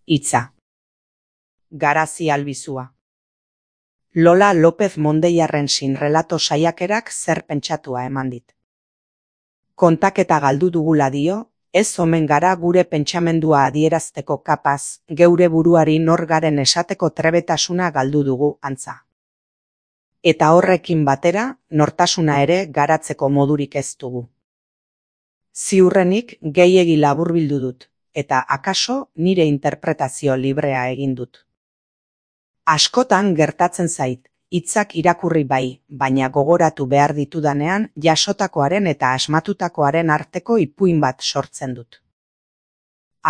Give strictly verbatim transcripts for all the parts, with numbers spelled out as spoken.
Hitza. Garazi albizua. Lola López Mondeiarren sinrelato saiakerak zer pentsatua eman dit. Kontaketa galdu dugula dio, ez omen gara gure pentsamendua adierazteko kapaz, geure buruari nor garen esateko trebetasuna galdu dugu antza. Eta horrekin batera, nortasuna ere garatzeko modurik ez dugu. Ziurrenik gehiegi laburbildu dut, eta akaso nire interpretazio librea egin dut. Askotan gertatzen zait, hitzak irakurri bai, baina gogoratu behar ditudanean jasotakoaren eta asmatutakoaren arteko ipuin bat sortzen dut.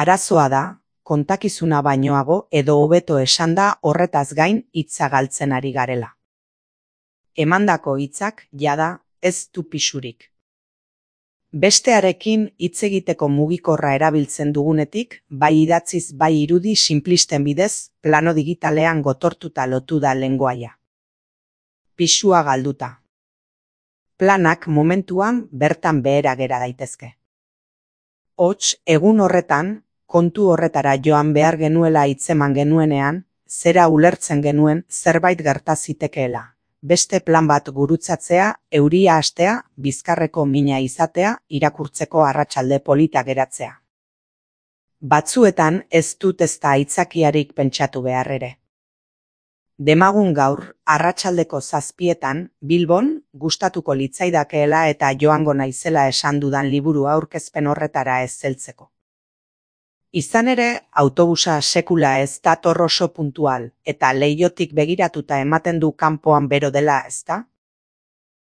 Arazoa da, kontakizuna bainoago edo hobeto esanda horretaz gain hitza galtzen ari garela. Emandako hitzak jada ez du pisurik. Bestearekin hitz egiteko mugikorra erabiltzen dugunetik, bai idatziz bai irudi sinplisten bidez, plano digitalean gotortuta lotu da lengoaia. Pisua galduta. Planak momentuan bertan behera gera daitezke. Hots, egun horretan, kontu horretara joan behar genuela hitzeman genuenean, zera ulertzen genuen zerbait gerta zitekeela. Beste plan bat gurutzatzea, euria hastea, bizkarreko mina izatea, irakurtzeko arratsalde polita geratzea. Batzuetan ez dut ezta aitzakiarik pentsatu behar ere. Demagun gaur, arratsaldeko zazpietan, Bilbon, gustatuko litzaidakeela eta joango naizela esan dudan liburu aurkezpen horretara ez heltzeko. Izan ere, autobusa sekula ez dator oso puntual, eta leihotik begiratuta ematen du kanpoan bero dela, ezta?